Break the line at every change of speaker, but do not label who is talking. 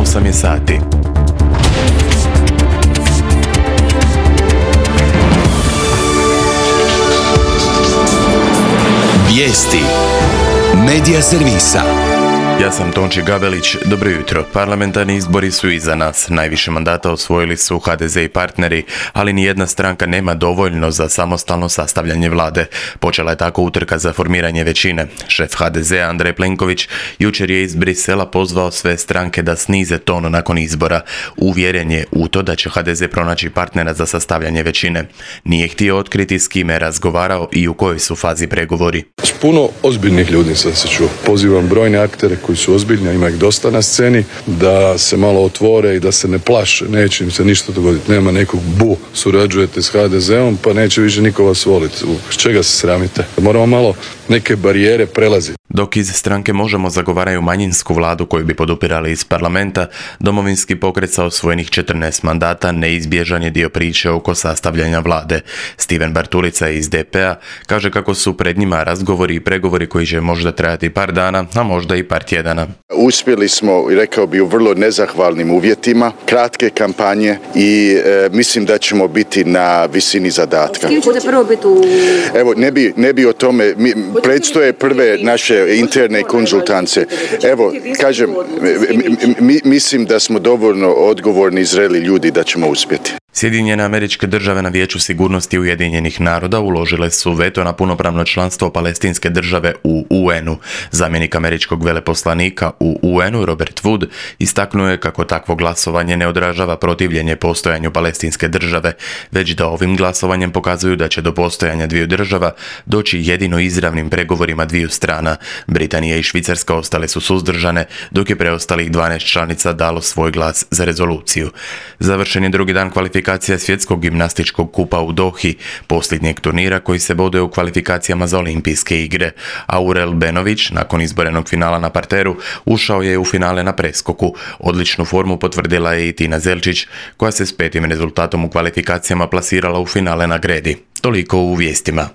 8 je sati.
Vijesti Medija servisa.
Ja sam Tonči Gabelić, dobro jutro. Parlamentarni izbori su iza nas. Najviše mandata osvojili su HDZ i partneri, ali nijedna stranka nema dovoljno za samostalno sastavljanje vlade. Počela je tako utrka za formiranje većine. Šef HDZ-a Andrej Plenković jučer je iz Brisela pozvao sve stranke da snize ton nakon izbora. Uvjeren je u to da će HDZ pronaći partnera za sastavljanje većine. Nije htio otkriti s kime je razgovarao i u kojoj su fazi pregovori.
Puno ozbiljnih ljudi sam se čuo. Pozivam brojne aktere koji su ozbiljni, a ima ih dosta na sceni, da se malo otvore i da se ne plaše. Neće im se ništa dogoditi. Nema nekog surađujete s HDZ-om, pa neće više niko vas voliti. S čega se sramite? Moramo malo neke barijere prelaziti.
Dok iz stranke Možemo zagovaraju manjinsku vladu koju bi podupirali iz parlamenta, Domovinski pokret sa osvojenih 14 mandata neizbježan je dio priče oko sastavljanja vlade. Stiven Bartulica iz DP-a kaže kako su pred njima razgovori i pregovori koji će možda trajati par dana, a možda i par tjedana.
Uspjeli smo, rekao bi, u vrlo nezahvalnim uvjetima, kratke kampanje i mislim da ćemo biti na visini zadatka. Evo, ne bi o tome, predstoje prve naše interne konzultance. Evo, kažem, mislim da smo dovoljno odgovorni i zreli ljudi da ćemo uspjeti.
Sjedinjene Američke Države na Vijeću sigurnosti Ujedinjenih naroda uložile su veto na punopravno članstvo Palestinske države u UN-u. Zamjenik američkog veleposlanika u UN-u Robert Wood istaknuo je kako takvo glasovanje ne odražava protivljenje postojanju Palestinske države, već da ovim glasovanjem pokazuju da će do postojanja dviju država doći jedino izravnim pregovorima dviju strana. Britanija i Švicarska ostale su suzdržane, dok je preostalih 12 članica dalo svoj glas za rezoluciju. Završen je drugi dan kvalifikacija svjetskog gimnastičkog kupa u Dohi, posljednjeg turnira koji se boduje u kvalifikacijama za olimpijske igre. Aurel Benović, nakon izborenog finala na parteru, ušao je u finale na preskoku. Odličnu formu potvrdila je i Tina Zelčić, koja se s 5. rezultatom u kvalifikacijama plasirala u finale na gredi. Toliko u vijestima.